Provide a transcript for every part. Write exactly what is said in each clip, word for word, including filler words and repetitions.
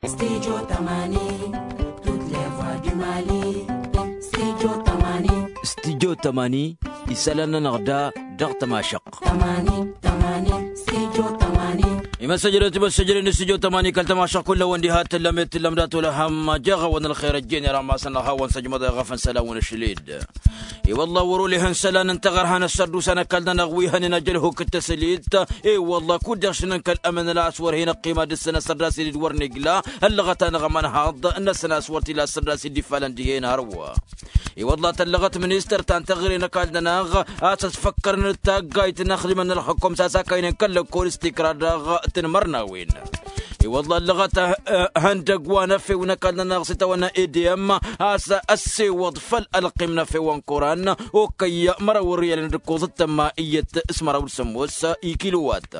Studio tămani, toutes les voix du mali. Studio tămani. Studio tămani, isălan-nănăɣ da dăɣ-tămašăɣt. Tămani tămani, studio tămani. Imăssăjrăt imăssăjrăt n-studio tămani kăl-tămašăɣt kull-awăn diha tǝllăm i-tǝllăm dat-wăla ham jeɣ-awăn ălxer ăjjeen i-rammasăn-năɣ hawăn-săjmăḍ i-ɣăf n-isălan wăn-ašled. I-wălla wăr-oleh n-isălan n-taɣărha n-ăssărdusa n-ăkall-nănăɣ wi hănen ajălhuk d-tăslit. I-wălla kud-iɣšǝnăn kăl-ămǝnăla a-s wăr hin-ăqqima dăr-săn ăssărdas-ed d-wăr n-igla ăllăɣăt-anăɣ ămănhaḍ-năsăn a-s wăr t-illa ăssărdas-ed d-ifalăn dihen hărwa. I-wălla tăllăɣăt ministăr ta n-taɣre n-ăkall-nănăɣ a-s ăsfăkkărăn d-taggayt n-axdimăn n-ălxukkum s-a-s akaynen kăl-lăkkol s-tikra dăɣ-tǝnmărnawen. I-wălla ăllăɣăt ihăndăgg wa n-efew n-ăkall-nănăɣ s-itawănna edem a-s ăssewăḍ făll-ălqim n-efew ănkuran okăyy măraw n-riyalăn d-ǝkkoẓ d-tămma iyyăt s-măraw d-sămmos ikilowat.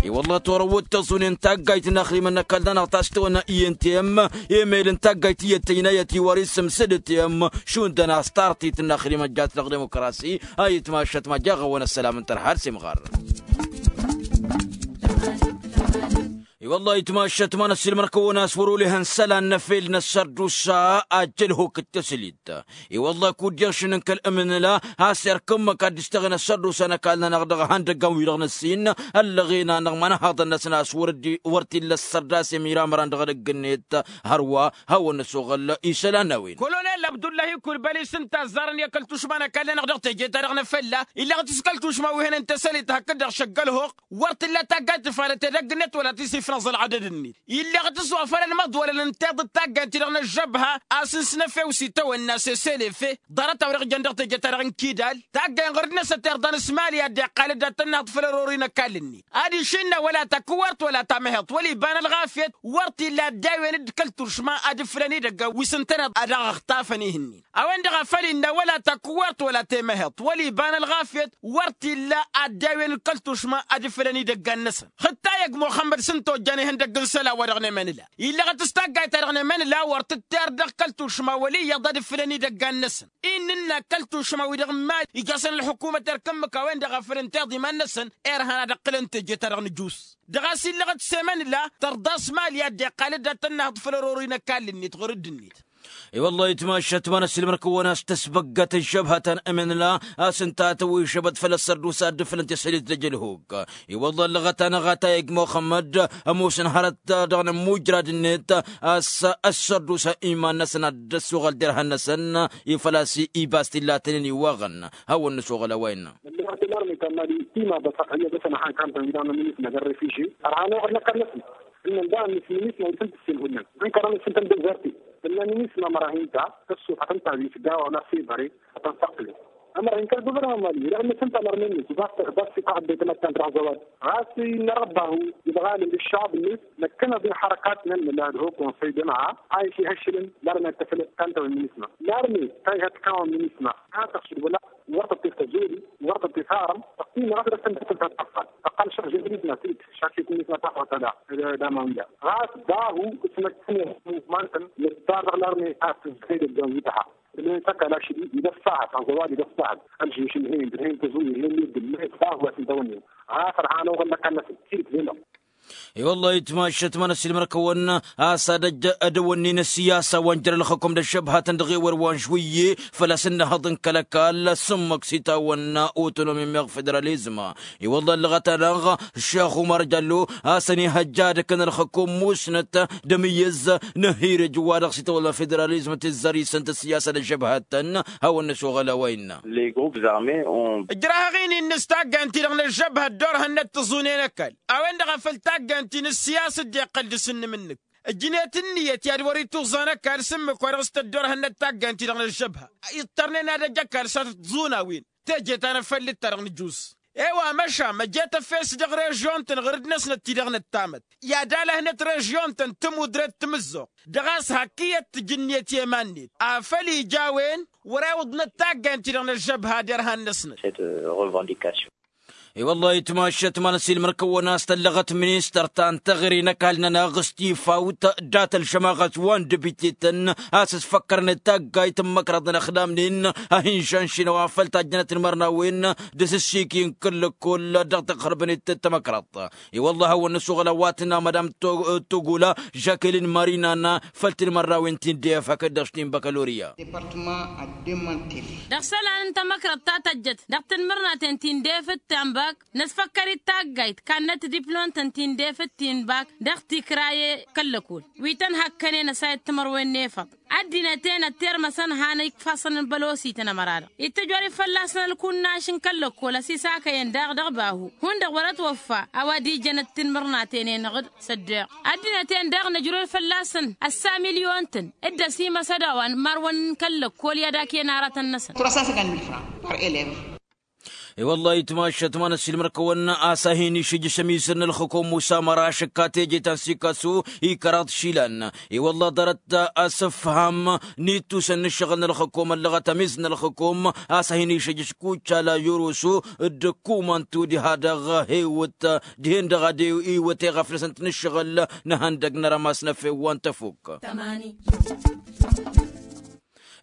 I-wălla torăwăt tăẓunen taggayt n-axdimăn n-ăkall-nănăɣ ta s-itawănna i n t m emel n-taggayt iyyăt tăynayăt iwar isǝm s-dd t m šund ănastartit n-axdimăn jat dăɣ-dimukrasi. A itmašăt ma jaɣ-awăn ăssălam n-tărha d-simɣar. I-wălla itmašăt ma n-ăssiilmăr-kăwăn a-s wăr-oleh n-isălan n-efel n-ăssărdusa ajjălhuk d-tăslit. I-wălla kud-iɣšǝnăn kăl-ămǝnǝla a-s irkǝmmăk ad-dd-ǝstăɣen ăssărdusa n-ăkall-nănăɣ dăɣ-ihăndăggan-wi-dăɣ năssin ăllăɣen-anăɣ ma n-ăhaḍăn-năsăn a-s wăr t-illa ăssărdas i-miramăran dăɣ-edăgg-net. Hărwa hawăn-năsoɣăl isălan n-a-wen. Kolonel abdullahi kulbali s-ǝnta ăzzarăn i-kăl-tušma n-ăkall-nănăɣ dăɣ-teje-ta-dăɣ n-efălla illăɣ-t s-kăl-tušma wi hănen tăsălit hakd-dăɣ šăggălhoɣ. Wăr t-illa taggayt tǝfalăt edăgg-net wăla tisifnăẓ ălɣădăd-net. Illăɣ-t s-wa făl ălmăḍwălăn n-tiḍǝt taggayt-ti-dăɣ n-ăžžăbha a-s n-snăfew s-itawănna s-eselefe ḍarăt-a-wa-dăɣ jăn dăɣ-teje-ta-dăɣ n-kidal. Taggay n-ɣur-dd-năsăt irḍa n-asmali ad-dd-iqqal dd-ad-tănnăhăḍ făll-ărori n-ăkall-net ad-išǝnna wăla takǝwart wăla tamăheḍt wăla iba n-ălɣafyăt. Wăr t-illa ăddawen-dd kăl-turšma ad-ǝflăn idăggan wi s-ǝntăneḍ ad-aɣ-ăxtafăn ihǝnnin. A-wen-dăɣ a făl innă wăla takǝwart wăla temăheḍt wăla iba n-ălɣafyăt. Wăr t-illa ăddawen kăl-tušma ad-ǝflăn idăggan-năsăn xǝttay ăgg muxămmăd s-ǝnta ojjan ihăndăgg n-isălan wa dăɣ-nemănǝla. Illăɣăt s-taggayt-ta-dăɣ nemănǝla wăr tǝtterr dăɣ-kăl-tušma wăl' iyyăḍ ad-ǝflăn idăggan-năsăn. Innă ǝnna kăl-tušma-wi-dăɣ n-imali ija-săn ălḥukumăt erk ǝmmǝk a-wen-dăɣ a făl ǝnta iḍiman-năsăn. Irhan ad-ǝqqǝlăn teje-ta-dăɣ n-ǝjus dăɣ-a-s illăɣ-t s-emănǝla tărḍa s-imali ad-dd-iqqal-dd ad-tănnăhăḍ făll-ărori n-ăkall-net ɣur-dd-net. I-wăllah itmašat ma n-ăssiilmăr-kăwăn a-s tăsbăggăt ăžžăbhătăn ămănla a-s ǝnta a tăwwăy šăbăt făll-ăssărdusa dd-fălăn tesălit d-ăjălhuk. I-wăllah ăllăɣăt-anăɣ atayăj muxămmăd ămoosăn hărăt dăɣ-inǝmmujrad-net a-s ăssărdusa iman-năsăn ad-dd-ăssuɣăl derhan-năsăn. I-făl-a-s ibas t-illa tăn-in-iwwaɣăn. Hawăn-nǝsuɣăl a-wa innă. Ăllăɣăt ălarme ta n-imali tima băsăɣ hăyya dăr-săn ăxan kantăn wi dăɣ-nămminis n-agăr refugye ărhan oɣăl n-ăkall-năsăn. Ǝnnăn daɣ ănnis n-inisma wi tăn-tǝssin hullan ǝnkărăn ǝssǝntăn dezerte. Tǝnna n-inisma mărahin ta tăssufăt ǝnta wi s-gawa wăla s-ebăre ad-tăn-tăqqǝlen. Ămărahin kăl-guvărnăma n-imali dăɣ-ănnăsăn ta n-arme-net wi dăɣ-s tăɣbas ităɣbet ămăttan dăɣ-zăwad ɣas innă răbbahu ibɣalăn d-ăššăɣb-net. Năkkăneḍ-in ḥărăkat n-ănnălad ho-konsăy d-ămăra a isihăššǝlăn larme ad-tăfăl tantăwăn n-inisma larme ta ihătkawăn n-inisma. A tăɣšǝd wăla wăr tăṭṭef tăzori wăr tăṭṭef arăm. Tăqqim ɣas dăr-s tăn-tăfăl tăqqal šăɣ žămrit ma tǝlt šakyăt n-inisma taxwăt ala. Damawiya ɣas dahu s-năkkăneḍ muvmantăn nǝttar dăɣ-larme a tǝzzăy dăgg-an wi tăha. Ǝlhǝn s-ăkall ašăl-i idăf sahăt ănẓăwad idăf sahăt ălžeš ǝlhǝn d-ǝlhǝn tăzuri ǝlhǝn d-ǝlhǝn dahu a-s ǝntawăn-in. Ɣas ărhan oɣăl n-ăkall-năsăn. Tirǝt d-enăɣ. I-wăllah itmašat ma n-ăssiilmăr-kăwăn a-s ad-ăj ădăwănnin ăssiyasa wa n-jăr ălxăkum d-ăššăbhatăn dăɣ-ewăr wa n-žwǝyye. Făl-a-s ǝnnăhăḍ n-kăl-ăkall s-ǝmmǝk s-itawănna otonomi meɣ federalizm. I-wăllah ăllăɣăt-anăɣ šex umar jallo a-s ănihăjja ad-ǝkǝn ălxăkum musnăt d-amǝyyǝz n-ehirǝj wa dăɣ-s itawănna federalizm tǝzzăr isǝnt ăssiyasa d-ăžžăbhatăn. Hawăn-nǝsuɣăl a-wa innă. Ǝjrah aɣini-nǝs taggant-ti-dăɣ n-ăžžăbhăt dd-orhănnăt tǝẓune n-ăkall a-wen-dăɣ a făl taggant-ti n-ǝssiyas dd-iqqăl dăr-s ǝnnǝm-nǝk. Ǝjnet ǝnniyăt i-ad-wăr-ituzẓan ăkall s-ǝmmǝk wa dăɣ-s tăddoorhănnăt taggant-ti-dăɣ n-ăžžăbha. Iṭṭărnen ad-ăj ăkall s-ad-tǝẓun a-wen teje ta n-afăllǝt-ta-dăɣ n-ǝjus. E-wa măšan măjet efes dăɣ-režyon-tăn ɣǝr-dd-năsnăt ti-dăɣ năttamăt i-ad-alăhnet režyon-tăn tămudret timǝzzuɣt. Dăɣ-a-s hak iyyăt tǝj ǝnniyăt i-iman-net afăl ija a-wen wăr-iwǝḍnăt taggant-ti-dăɣ n-ăžžăbha d-irhan-năsnăt. Cette revendication. I-wăllah itmašăt ma n-ăsilmăr-kăwăn a-s tăllăɣăt ministăr ta n-teɣăre n-ăkall-nănăɣ s-tifawt dat-ălžămaɣăt wa n-debitităn a-s ăsfăkkărnet taggayt n-imăkrăḍ n-ăxdamnen a hin-žănšin a-wa făl tajjănăt n-imărnawen d-asǝssiki n-kăl-lăkkol dăɣ-tăɣhărbănet tamăkrăḍt. I-wăllah a hawăn-năsuɣăl a-wa tǝnna madam togula žăkelin marina n-făl tinmărnawen ti n-def hakd-dăɣ s-tinbăkăloriya. Dăɣ-isălan n-tamăkrăḍt ta tăjjăt dăɣ-tinmărnaten ti n-defăt ta n-bak năsfăkkăr-dd taggayt kannăt diplon-tăn ti n-defăt ti n-bak dăɣ-tikraye kăl-lăkol wi tăn-hakkănen ăsayăt timărwen n-efăḍ. Ăddinăt-en ăttermăsăn han ifassăn n-bălosităn ămăra-dăɣ ittăjorăt fălla-săn ălkunnaš n-kăl-lăkkol ăsisakăyăn daɣ dăɣ-bahu hundăɣ wăr-ătwăffa a-wa d-ijăn d-tinmărnaten-enăɣ-dd. Săddeɣ ăddinăt-en daɣ năjrăd fălla-săn ăssa milyon-tăn d-ăsimăsăd a-wa n-marwăn n-kăl-lăkkol i-ad-ak-en aratăn-năsăn. Tura s-a săgan milfra par elevă. I-wăllah itmašăt ma n-ăsilmăr-kăwăn a-s a hin-išǝjjǝš ămizăr n-ălxǝkum usa măraš ǝkka teje ta n-sikasu ikăraḍ išilan. I-wăllah ḍarăt asǝfham n-ittusăn n-ǝššăɣǝl n-ălxǝkum ăllăɣăt ămizăr n-ălxǝkum a-s a hin-išǝjjǝš kucala yurusu d-ǝkkumantu diha-dăɣ hewǝt dihen-dăɣ ad-iwǝt eɣăf-năsăn t-nǝššăɣǝl n-ehăndăg n-arămas n-efew wa n-tăfuk.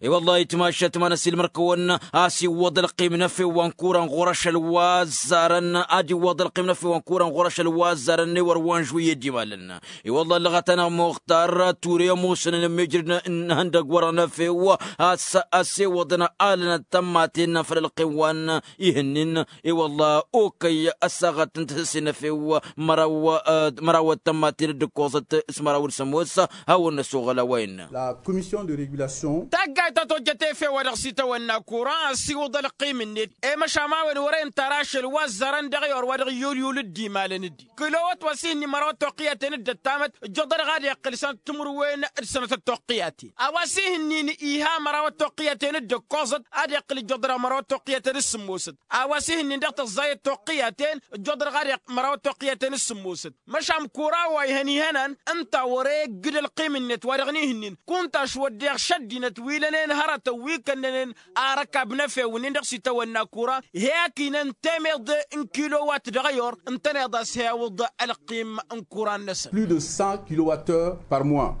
I-wăllah itmašăt ma n-ăsilmăr-kăwăn a-s iwwăḍ ălqim n-efew wa n-kuran ɣur-ašăl wa ăzzarăn ad-iwwăḍ ălqim n-efew wa n-kuran ɣur-ašăl wa ăzzarăn n-ewăr wa n-žuyyed imalăn. I-wăllah ăllăɣăt-anăɣ muxtar ture ămoosăn n-ămmijrǝd n-ehăndăg wăr-ănăfew a-s ăssewăḍăn alănăt tămmaten făll-ălqim wa n-ihǝnnin. I-wăllah okăy ăssaɣăt n-tăsăsse n-efew măraw tămmaten d-ǝkkoẓăt s-măraw d-sămoos. Hawăn-năsoɣăl a-wa innă. La commission de régulation. Taggayt ta tojjăt efew wa dăɣ-s itawănna kuran ăssiwǝḍ ălqim-net i-măšan a-wen wăren tara ašăl wa ăzzarăn dăɣ-i or wa dăɣ-iyyulyul d-imalăn-dd. Kǝlowăt wa s-ihǝnnin mărawăt toqqǝyaten d-ăttamăt ǝjjuḍădăɣ ad-iqqǝl sănăt timǝrwen d-sănătăt toqqǝyaten a-wa s-ihǝnnin iha mărawăt toqqǝyaten d-ǝkkoẓăt ad-iqqǝl ǝjjuḍădăɣ mărawăt toqqǝyaten d-sǝmmosăt. A-wa s-ihǝnnin dăɣ-tăẓẓayăt toqqǝyaten ǝjjuḍădăɣ ad-iqqǝl mărawăt toqqǝyaten d-sǝmmosăt. Măšan kura wa ihăn ihănan ǝnta wăr-e ǝggǝd ălqim-net wa dăɣ-nihǝnnin kunta ašwăddeɣ šăddinăt wi lănen hărătăn wi kănnănen arăkab n-efew-nin dăɣ-s itawănna kura. He-ak inăn temeḍe n-kilowat dăɣ-ăyor ǝntăneḍ a-s he-awǝḍ ălqim n-kura-năsăn. Plus de cent kilowattheures par mois.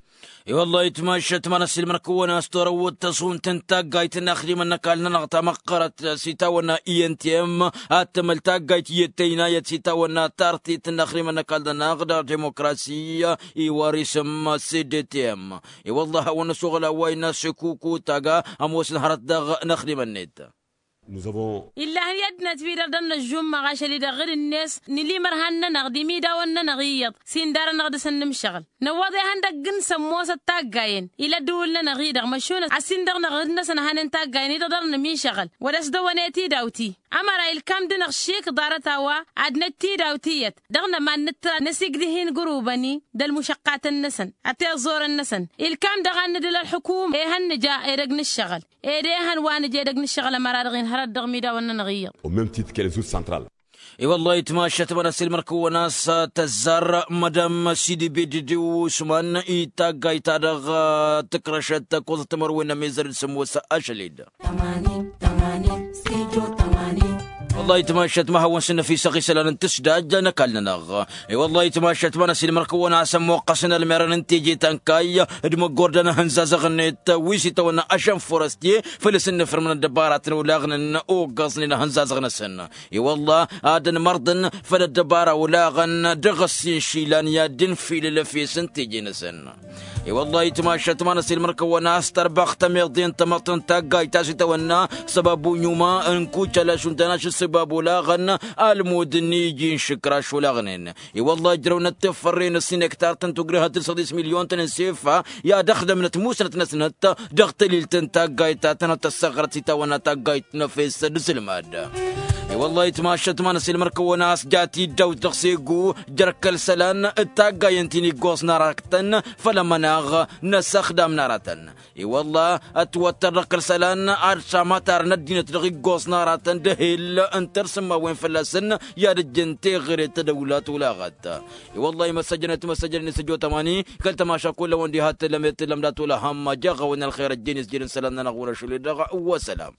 I-wăllah itmašăt ma n-ăsilmăr-kăwăn a-s torăwăt tăẓunt n-taggayt n-inaxdimăn n-ăkall-nănăɣ ta măqqărăt s-itawănna i n t m ad-tămăl taggayt iyyăt tăynayăt s-itawănna tartit n-inaxdimăn n-ăkall-nănăɣ dăɣ-dimokrasi. Iwar isǝm s-d t m. I-wăllah a hawăn-năsoɣăl a-wa innă s-kuku taga ămoosăn hărăt dăɣ-inaxdimăn-net. Illăhăn i-ăddinăt-wi-dăɣ dăr-năžžumma ɣašăl-i-dăɣ ɣǝd-net n-ilimărhan-nănăɣ d-imidawen-nănăɣ iyyăḍ s-indar-anăɣ dăr-săn nǝmšăɣǝl. Năwwăḍ ihăndăgg n-sămmosăt taggayen ila ăddǝwǝl-nănăɣ-i-dăɣ măšunăt a-s indăɣ-năɣ ɣǝd-năsăn a hanen taggayen-i-dăɣ dăr-nǝmišăɣǝl wăr-ăsdăwănet idawt-i. Ămăra ilkam dăɣ-năɣ šik ḍarăt a-wa ad-năt idawt iyyăt dăɣ-năman nǝttăra năsigdǝh-in gurubăn-i d-ălmušăqqatăn-năsăn ăteẓẓorăn-năsăn. Ilkam dăɣ-ad-nǝdǝl ălḥukum ehăn nǝja edăgg n-ǝššăɣǝl ed ehăn wa nǝja edăgg n-ǝššăɣǝl ămăra-dăɣ-in hărăt dăɣ-imidawen-nănăɣ iyyăḍ. Au même titre que les autres centrales. I-wăllah itmašăt ma n-ăsilmăr-kăwăn a-s tăzzar madam sidi bedidiw usman i-taggayt-ta-dăɣ tǝkrăšăt tăkkoẓăt timărwen n-amizăr d-sămoos ašăl-dd. Wăllah itmašăt ma hawăn-sǝnnăfisăɣ isălan n-tǝsdaj n-ăkall-nănăɣ. I-wăllah itmašăt ma n-ăsilmăr-kăwăn a-s ămmuqqăsăn ălmerăn n-teje ta n-kayy d-măggordan ahǝnzazăɣ-net wi s-itawănna ašăn forăstye făl-s ǝnnǝfrǝmăn ăddăbaratăn olaɣnen oggăẓnen ahǝnzazăɣ-năsăn. I-wăllah ad-ănmărḍăn făll-ăddăbara olaɣăn dăɣ-ăssin išilan i-ad-dd-infilǝl efes n-teje-năsăn. I-wăllah itmašăt ma n-ăsilmăr-kăwăn a-s tărbăɣ tămeḍe n-tamăḍt n-taggayt ta s-itawănna săbabu n-iuma n-kucala šund tănaš ǝssǝbab olaɣăn almud n-iji n-išǝkraš olaɣnen. I-wăllah ǝjrăwnăt tefărre n-ǝssin ektar tăn-tugrǝhăt d-săḍis milyon-tăn n-sefa i-ad-ăxdămnăt musnăt-năsnăt dăɣ-tălilt n-taggayt ta tănhăt tăssăɣrăt s-itawănna taggayt n-efes d-isǝlmad. I-wăllah itmašăt ma n-ăsilmăr-kăwăn a-s jat-dd awt dăɣ-segu jer-kăl-isălan d-taggayen ti n-iggoẓ n-aratăn făll-ămănaɣ n-asăxdam n-aratăn. I-wăllah ătwăttăr dăɣ-kăl-isălan ad-šamătarăn ăddinăt dăɣ-iggoẓ n-aratăn d-ehel n-tărsǝmmawen fălla-săn i-ad-ǝjjǝn teɣăre tadăwla tolaɣăt. I-wăllah imăssăjăn timăssăjăn-net ăjjootăm ani kăl-tămaša kull-ăwăn diha t-tǝllăm i-tǝllăm dat-olăhăm. Jaɣ-awăn ălxer ăjjeen isjed n-isălan-nănăɣ wăr-ašăl-i-dăɣ. Wăssălam.